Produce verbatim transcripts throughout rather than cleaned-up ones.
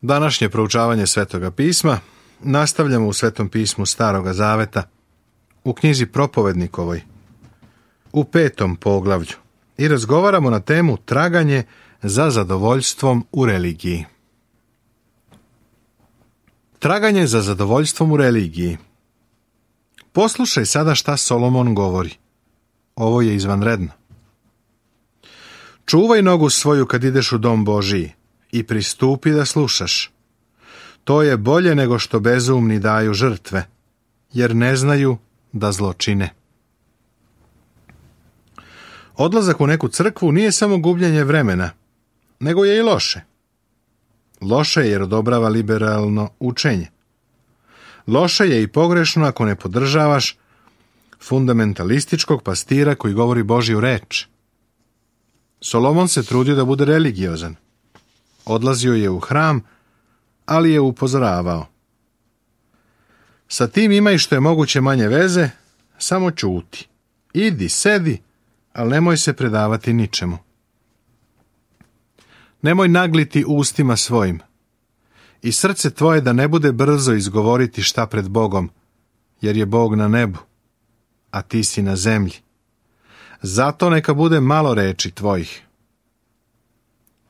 Današnje proučavanje Svetoga pisma nastavljamo u Svetom pismu Staroga Zaveta, u knjizi Propovednikovoj, u petom poglavlju, i razgovaramo na temu traganje za zadovoljstvom u religiji. Traganje za zadovoljstvom u religiji. Poslušaj sada šta Solomon govori. Ovo je izvanredno. Čuvaj nogu svoju kad ideš u dom Božiji i pristupi da slušaš. To je bolje nego što bezumni daju žrtve, jer ne znaju da zlo čine. Odlazak u neku crkvu nije samo gubljenje vremena, nego je i loše. Loše je jer odobrava liberalno učenje. Loše je i pogrešno ako ne podržavaš fundamentalističkog pastira koji govori Božju reč. Solomon se trudio da bude religiozan. Odlazio je u hram, ali je upozoravao. Sa tim ima i što je moguće manje veze, samo ćuti. Idi, sedi, ali nemoj se predavati ničemu. Nemoj nagliti ustima svojim. I srce tvoje da ne bude brzo izgovoriti šta pred Bogom, jer je Bog na nebu, a ti si na zemlji. Zato neka bude malo reči tvojih.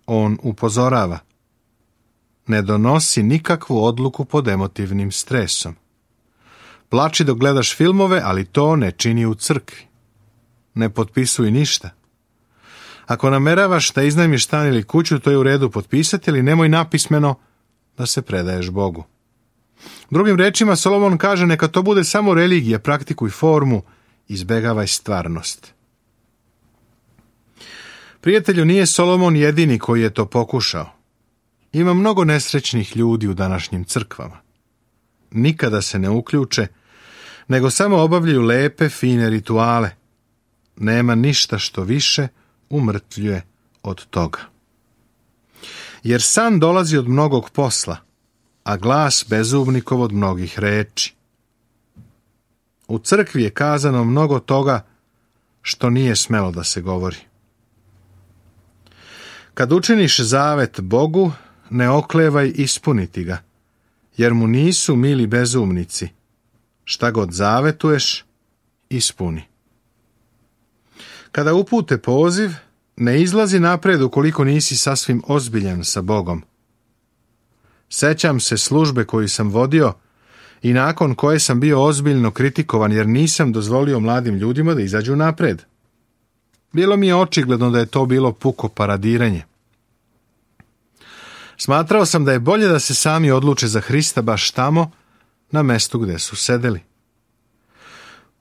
On upozorava. Ne donosi nikakvu odluku pod emotivnim stresom. Plači dok gledaš filmove, ali to ne čini u crkvi. Ne potpisuj ništa. Ako nameravaš da iznajmiš stan ili kuću, to je u redu potpisati, ali nemoj napismeno da se predaješ Bogu. Drugim rečima, Solomon kaže, neka to bude samo religija, praktikuj formu, izbegavaj stvarnost. Prijatelju, nije Solomon jedini koji je to pokušao. Ima mnogo nesrećnih ljudi u današnjim crkvama. Nikada se ne uključe, nego samo obavljaju lepe, fine rituale. Nema ništa što više umrtvljuje od toga. Jer san dolazi od mnogog posla, a glas bezumnikov od mnogih reči. U crkvi je kazano mnogo toga što nije smelo da se govori. Kad učiniš zavet Bogu, ne oklevaj ispuniti ga, jer mu nisu mili bezumnici. Šta god zavetuješ, ispuni. Kada upute poziv, ne izlazi napred ukoliko nisi sasvim ozbiljan sa Bogom. Sećam se službe koju sam vodio i nakon koje sam bio ozbiljno kritikovan jer nisam dozvolio mladim ljudima da izađu napred. Bilo mi je očigledno da je to bilo puko paradiranje. Smatrao sam da je bolje da se sami odluče za Hrista baš tamo, na mestu gde su sedeli.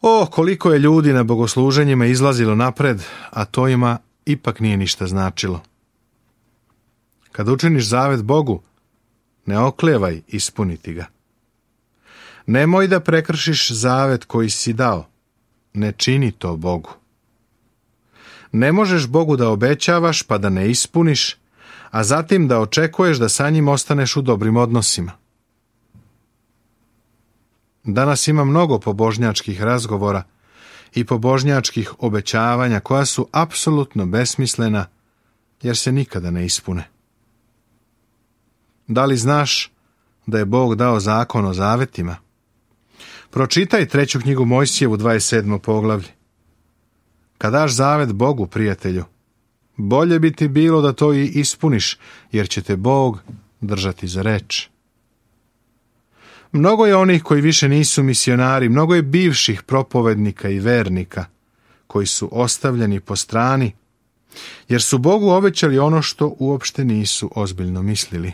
O, koliko je ljudi na bogosluženjima izlazilo napred, a to ima ipak nije ništa značilo. Kad učiniš zavet Bogu, ne oklevaj ispuniti ga. Nemoj da prekršiš zavet koji si dao. Ne čini to Bogu. Ne možeš Bogu da obećavaš pa da ne ispuniš, a zatim da očekuješ da sa njim ostaneš u dobrim odnosima. Danas ima mnogo pobožnjačkih razgovora i pobožnjačkih obećavanja koja su apsolutno besmislena jer se nikada ne ispune. Da li znaš da je Bog dao zakon o zavetima? Pročitaj treću knjigu Mojsijevu dvadeset sedmo poglavlje. Kad daš zavet Bogu, prijatelju, bolje bi ti bilo da to i ispuniš, jer će te Bog držati za reč. Mnogo je onih koji više nisu misionari, mnogo je bivših propovednika i vernika koji su ostavljeni po strani, jer su Bogu obećali ono što uopšte nisu ozbiljno mislili.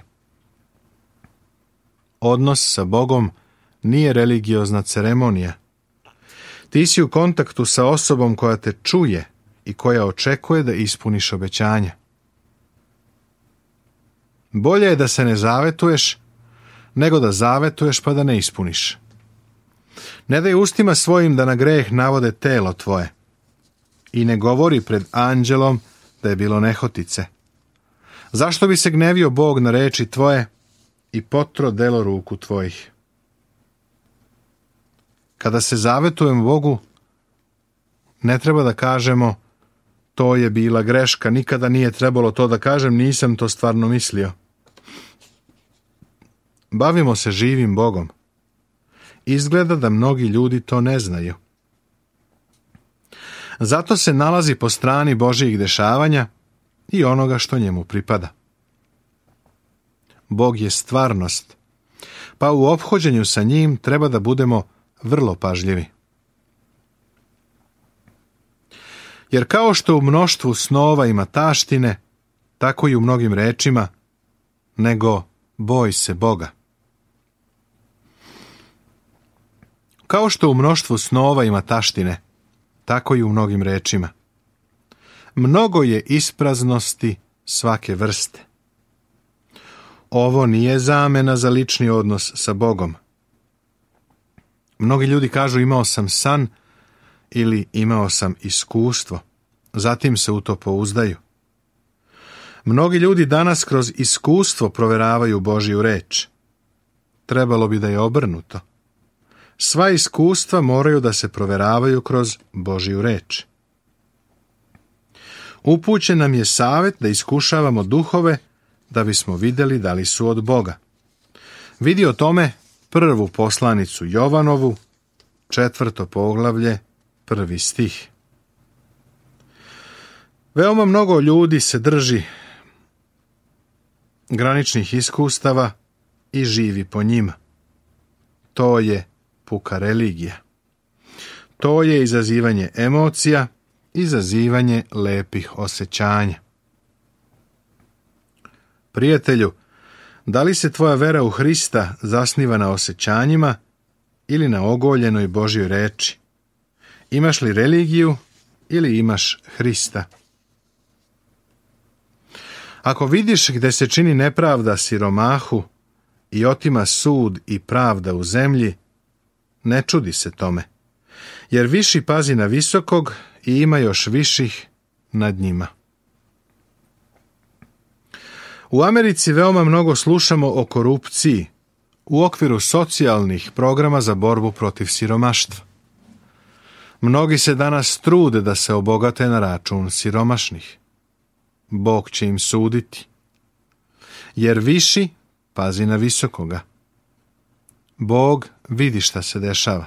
Odnos sa Bogom nije religiozna ceremonija. Ti si u kontaktu sa osobom koja te čuje i koja očekuje da ispuniš obećanja. Bolje je da se ne zavetuješ, nego da zavetuješ pa da ne ispuniš. Ne daj ustima svojim da na greh navode telo tvoje i ne govori pred anđelom da je bilo nehotice. Zašto bi se gnevio Bog na reči tvoje i potro delo ruku tvojih? Kada se zavetujemo Bogu, ne treba da kažemo to je bila greška, nikada nije trebalo to da kažem, nisam to stvarno mislio. bavimo se živim Bogom. Izgleda da mnogi ljudi to ne znaju. Zato se nalazi po strani Božjih dešavanja i onoga što njemu pripada. Bog je stvarnost, pa u ophođenju sa njim treba da budemo vrlo pažljivi. Jer kao što u mnoštvu snova ima taštine, tako i u mnogim rečima, nego boj se Boga. Kao što u mnoštvu snova ima taštine, tako i u mnogim rečima. Mnogo je ispraznosti svake vrste. Ovo nije zamena za lični odnos sa Bogom. Mnogi ljudi kažu imao sam san ili imao sam iskustvo, zatim se u to pouzdaju. Mnogi ljudi danas kroz iskustvo proveravaju Božju reč. Trebalo bi da je obrnuto. Sva iskustva moraju da se proveravaju kroz Božju reč. Upućen nam je savjet da iskušavamo duhove da bismo vidjeli da li su od Boga. Vidi o tome prvu poslanicu Jovanovu, četvrto poglavlje, prvi stih. Veoma mnogo ljudi se drži graničnih iskustava i živi po njima. To je puka religija. To je izazivanje emocija, izazivanje lepih osjećanja. Prijatelju, da li se tvoja vera u Hrista zasniva na osjećanjima ili na ogoljenoj Božjoj reči? Imaš li religiju ili imaš Hrista? Ako vidiš gde se čini nepravda siromahu i otima sud i pravda u zemlji, ne čudi se tome, jer viši pazi na visokog i ima još viših nad njima. U Americi veoma mnogo slušamo o korupciji u okviru socijalnih programa za borbu protiv siromaštva. Mnogi se danas trude da se obogate na račun siromašnih. Bog će im suditi. Jer viši pazi na visokoga. Bog vidi šta se dešava.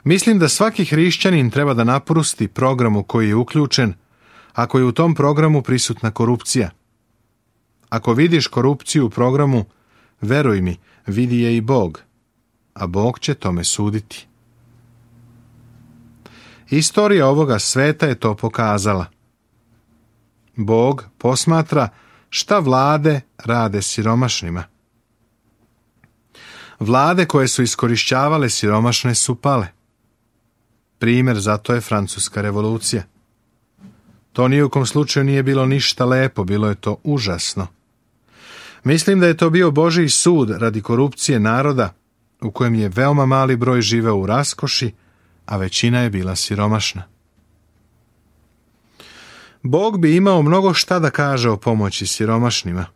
Mislim da svaki hrišćanin treba da naprusti program u koji je uključen, ako je u tom programu prisutna korupcija. Ako vidiš korupciju u programu, veruj mi, vidi je i Bog, a Bog će tome suditi. Istorija ovoga sveta je to pokazala. Bog posmatra šta vlade rade siromašnima. Vlade koje su iskorišćavale siromašne su pale. Primjer za to je Francuska revolucija. To ni u kom slučaju nije bilo ništa lepo, bilo je to užasno. Mislim da je to bio Božji sud radi korupcije naroda u kojem je veoma mali broj živeo u raskoši, a većina je bila siromašna. Bog bi imao mnogo šta da kaže o pomoći siromašnima.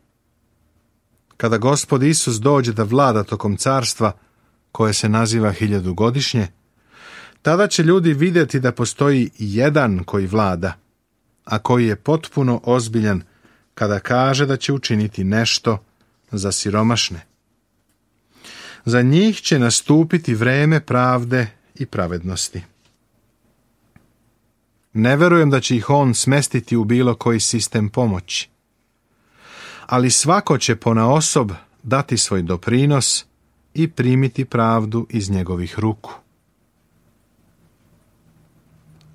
Kada Gospod Isus dođe da vlada tokom carstva, koje se naziva hiljadugodišnje, tada će ljudi vidjeti da postoji jedan koji vlada, a koji je potpuno ozbiljan kada kaže da će učiniti nešto za siromašne. Za njih će nastupiti vreme pravde i pravednosti. Ne verujem da će ih on smestiti u bilo koji sistem pomoći. Ali svako će ponaosob dati svoj doprinos i primiti pravdu iz njegovih ruku.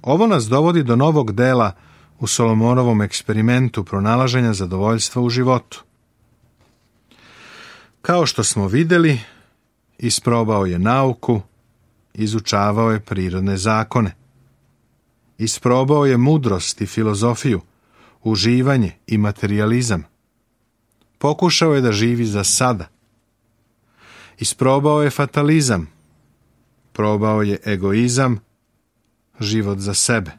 Ovo nas dovodi do novog dela u Solomonovom eksperimentu pronalaženja zadovoljstva u životu. Kao što smo vidjeli, isprobao je nauku, izučavao je prirodne zakone. Isprobao je mudrost i filozofiju, uživanje i materijalizam. Pokušao je da živi za sada. Isprobao je fatalizam. Probao je egoizam, život za sebe.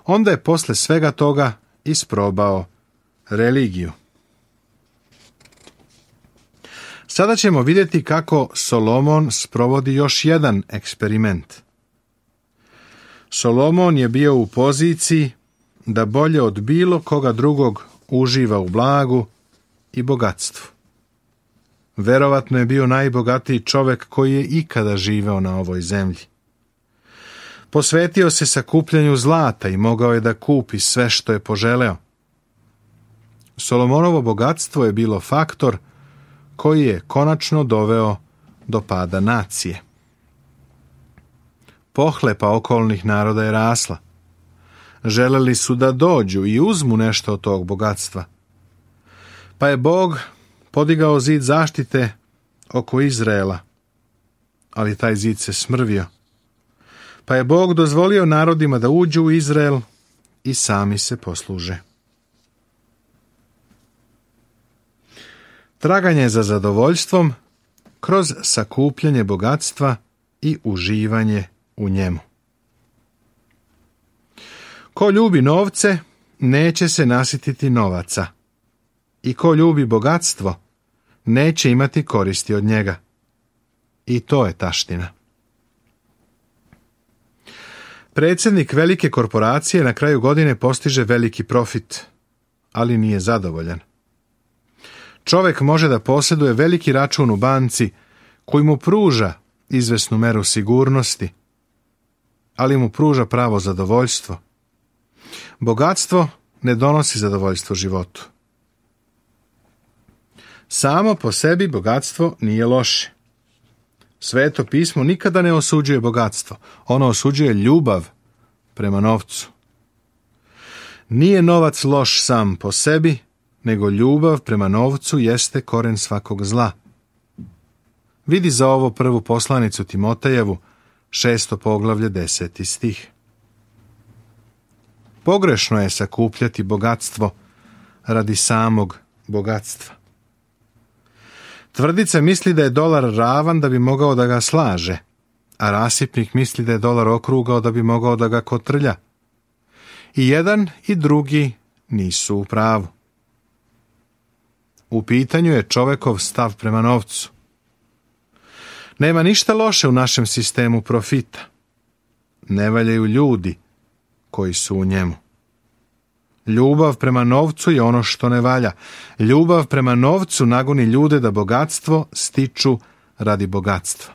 Onda je posle svega toga isprobao religiju. Sada ćemo vidjeti kako Solomon sprovodi još jedan eksperiment. Solomon je bio u poziciji da bolje od bilo koga drugog uživa u blagu i bogatstvu. Verovatno je bio najbogatiji čovjek koji je ikada živeo na ovoj zemlji. Posvetio se sakupljanju zlata i mogao je da kupi sve što je poželeo. Solomonovo bogatstvo je bilo faktor koji je konačno doveo do pada nacije. Pohlepa okolnih naroda je rasla. Želeli su da dođu i uzmu nešto od tog bogatstva. Pa je Bog podigao zid zaštite oko Izraela, ali taj zid se smrvio. Pa je Bog dozvolio narodima da uđu u Izrael i sami se posluže. Traganje za zadovoljstvom kroz sakupljanje bogatstva i uživanje u njemu. Ko ljubi novce, neće se nasititi novaca. I ko ljubi bogatstvo, neće imati koristi od njega. I to je taština. Predsjednik velike korporacije na kraju godine postiže veliki profit, ali nije zadovoljan. Čovjek može da posjeduje veliki račun u banci koji mu pruža izvesnu meru sigurnosti, ali mu pruža pravo zadovoljstvo. Bogatstvo ne donosi zadovoljstvo životu. Samo po sebi bogatstvo nije loše. Sveto pismo nikada ne osuđuje bogatstvo. Ono osuđuje ljubav prema novcu. Nije novac loš sam po sebi, nego ljubav prema novcu jeste koren svakog zla. Vidi za ovo prvu poslanicu Timotejevu, šesto poglavlje, deseti stih. Pogrešno je sakupljati bogatstvo radi samog bogatstva. Tvrdica misli da je dolar ravan da bi mogao da ga slaže, a rasipnik misli da je dolar okrugao da bi mogao da ga kotrlja. I jedan i drugi nisu u pravu. U pitanju je čovekov stav prema novcu. Nema ništa loše u našem sistemu profita. Ne valjaju ljudi koji su u njemu. Ljubav prema novcu je ono što ne valja. Ljubav prema novcu nagoni ljude da bogatstvo stiču radi bogatstva.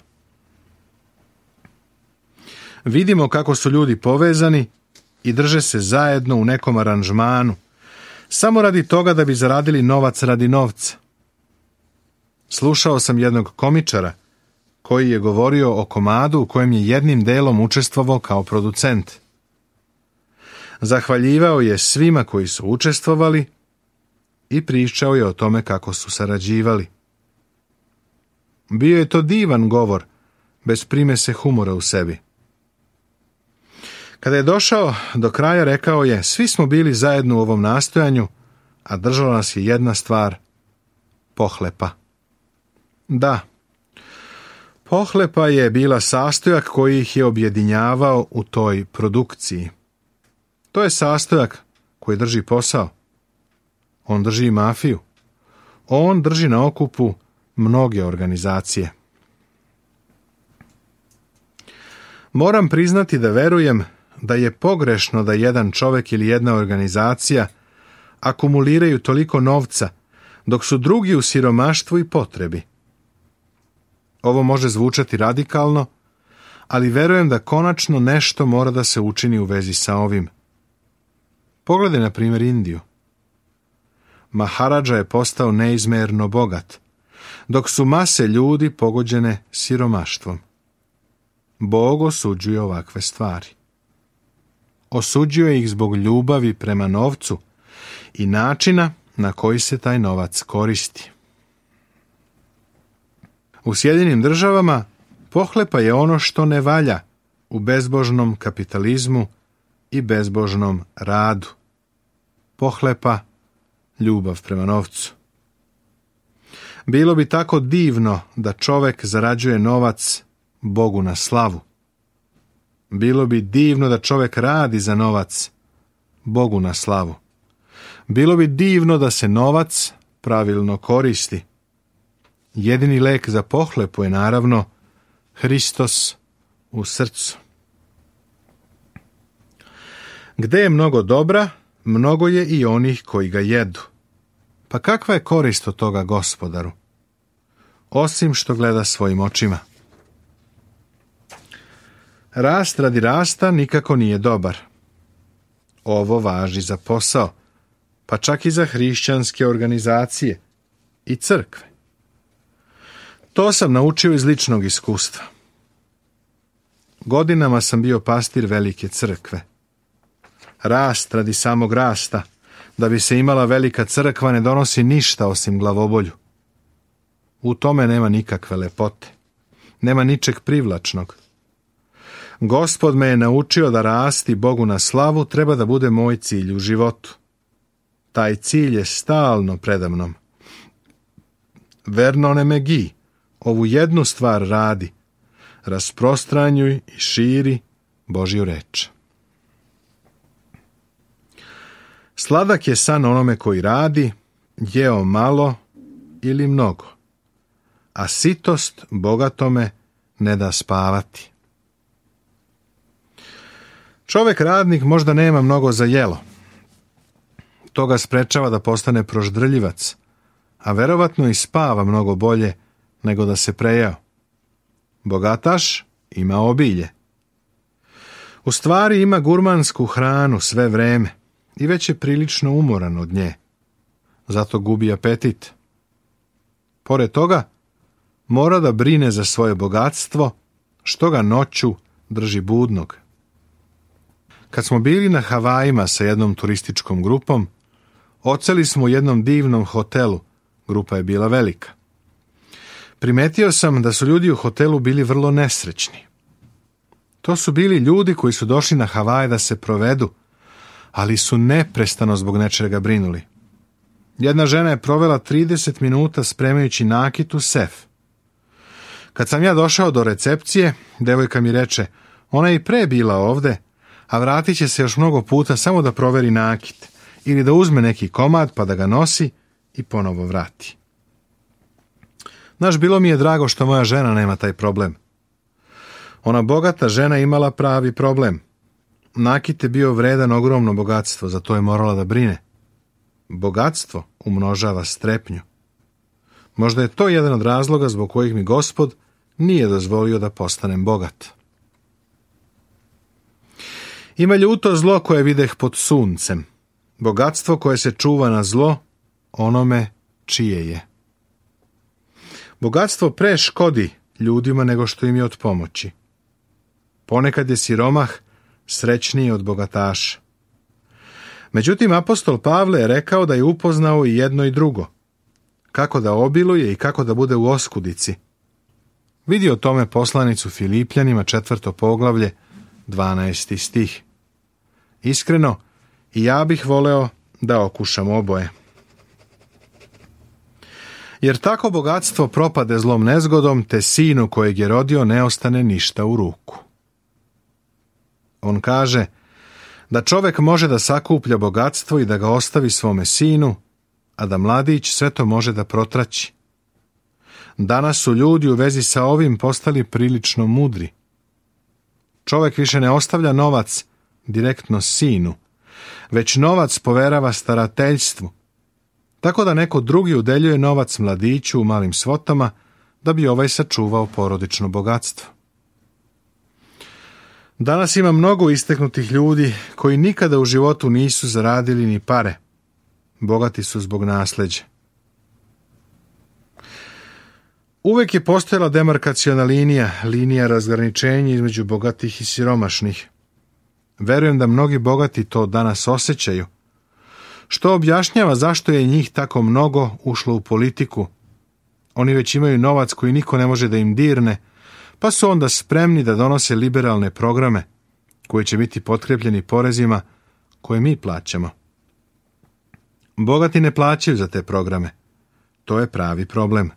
Vidimo kako su ljudi povezani i drže se zajedno u nekom aranžmanu, samo radi toga da bi zaradili novac radi novca. Slušao sam jednog komičara koji je govorio o komadu u kojem je jednim delom učestvovao kao producent. Zahvaljivao je svima koji su učestvovali i pričao je o tome kako su sarađivali. Bio je to divan govor, bez primese humora u sebi. Kada je došao do kraja, rekao je: svi smo bili zajedno u ovom nastojanju, a držala nas je jedna stvar, pohlepa. Da, pohlepa je bila sastojak koji ih je objedinjavao u toj produkciji. To je sastojak koji drži posao. On drži mafiju. On drži na okupu mnoge organizacije. Moram priznati da verujem da je pogrešno da jedan čovjek ili jedna organizacija akumuliraju toliko novca, dok su drugi u siromaštvu i potrebi. Ovo može zvučati radikalno, ali verujem da konačno nešto mora da se učini u vezi sa ovim. Pogledaj na primjer Indiju. Maharadža je postao neizmerno bogat, dok su mase ljudi pogođene siromaštvom. Bog osuđuje ovakve stvari. Osuđuje ih zbog ljubavi prema novcu i načina na koji se taj novac koristi. U Sjedinjenim Državama pohlepa je ono što ne valja u bezbožnom kapitalizmu i bezbožnom radu. Pohlepa, ljubav prema novcu. Bilo bi tako divno da čovjek zarađuje novac Bogu na slavu. Bilo bi divno da čovjek radi za novac Bogu na slavu. Bilo bi divno da se novac pravilno koristi. Jedini lek za pohlepu je naravno Hristos u srcu. Gde je mnogo dobra, mnogo je i onih koji ga jedu. Pa kakva je korist od toga, Gospodaru? osim što gleda svojim očima. Rast radi rasta nikako nije dobar. Ovo važi za posao, pa čak i za hrišćanske organizacije i crkve. To sam naučio iz ličnog iskustva. Godinama sam bio pastir velike crkve. Rast radi samog rasta, da bi se imala velika crkva, ne donosi ništa osim glavobolju. U tome nema nikakve lepote. Nema ničeg privlačnog. Gospod me je naučio da rasti Bogu na slavu treba da bude moj cilj u životu. Taj cilj je stalno predamnom. Verno ne megi, ovu jednu stvar radi, rasprostranjuj i širi Božju reč. Sladak je san onome koji radi, jeo malo ili mnogo, a sitost bogatome ne da spavati. Čovek radnik možda nema mnogo za jelo. To ga sprečava da postane proždrljivac, a verovatno i spava mnogo bolje nego da se prejao. Bogataš ima obilje. U stvari ima gurmansku hranu sve vreme i već je prilično umoran od nje. Zato gubi apetit. Pored toga, mora da brine za svoje bogatstvo, što ga noću drži budnog. Kad smo bili na Havajima sa jednom turističkom grupom, odseli smo u jednom divnom hotelu. Grupa je bila velika. Primetio sam da su ljudi u hotelu bili vrlo nesrećni. To su bili ljudi koji su došli na Havaje da se provedu, ali su neprestano zbog nečega brinuli. Jedna žena je provela trideset minuta spremajući nakit u sef. Kad sam ja došao do recepcije, devojka mi reče, ona je i pre bila ovde, a vratit će se još mnogo puta samo da proveri nakit ili da uzme neki komad pa da ga nosi i ponovo vrati. Znaš, bilo mi je drago što moja žena nema taj problem. Ona bogata žena imala pravi problem. Nakit je bio vredan ogromno bogatstvo, zato je morala da brine. Bogatstvo umnožava strepnju. Možda je to jedan od razloga zbog kojih mi Gospod nije dozvolio da postanem bogat. Ima ljuto zlo koje videh pod suncem. Bogatstvo koje se čuva na zlo onome čije je. Bogatstvo pre škodi ljudima nego što im je od pomoći. Ponekad je siromah srećniji od bogataša. Međutim, apostol Pavle je rekao da je upoznao i jedno i drugo. Kako da obiluje i kako da bude u oskudici. Vidi o tome poslanicu Filipljanima, četvrto poglavlje, dvanaesti stih. Iskreno, i ja bih voleo da okušam oboje. Jer tako bogatstvo propade zlom nezgodom, te sinu kojeg je rodio ne ostane ništa u ruku. On kaže da čovek može da sakuplja bogatstvo i da ga ostavi svome sinu, a da mladić sve to može da protraći. Danas su ljudi u vezi sa ovim postali prilično mudri. Čovek više ne ostavlja novac direktno sinu, već novac poverava starateljstvu, tako da neko drugi udeljuje novac mladiću u malim svotama da bi ovaj sačuvao porodično bogatstvo. Danas ima mnogo isteknutih ljudi koji nikada u životu nisu zaradili ni pare. Bogati su zbog nasleđa. Uvek je postojala demarkaciona linija, linija razgraničenja između bogatih i siromašnih. Verujem da mnogi bogati to danas osjećaju, što objašnjava zašto je njih tako mnogo ušlo u politiku. Oni već imaju novac koji niko ne može da im dirne, pa su onda spremni da donose liberalne programe, koji će biti potkrepljeni porezima koje mi plaćamo. Bogati ne plaćaju za te programe. To je pravi problem.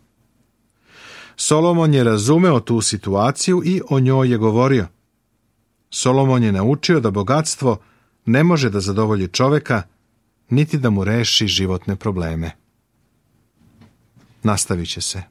Solomon je razumeo tu situaciju i o njoj je govorio. Solomon je naučio da bogatstvo ne može da zadovolji čoveka, niti da mu reši životne probleme. Nastavit će se.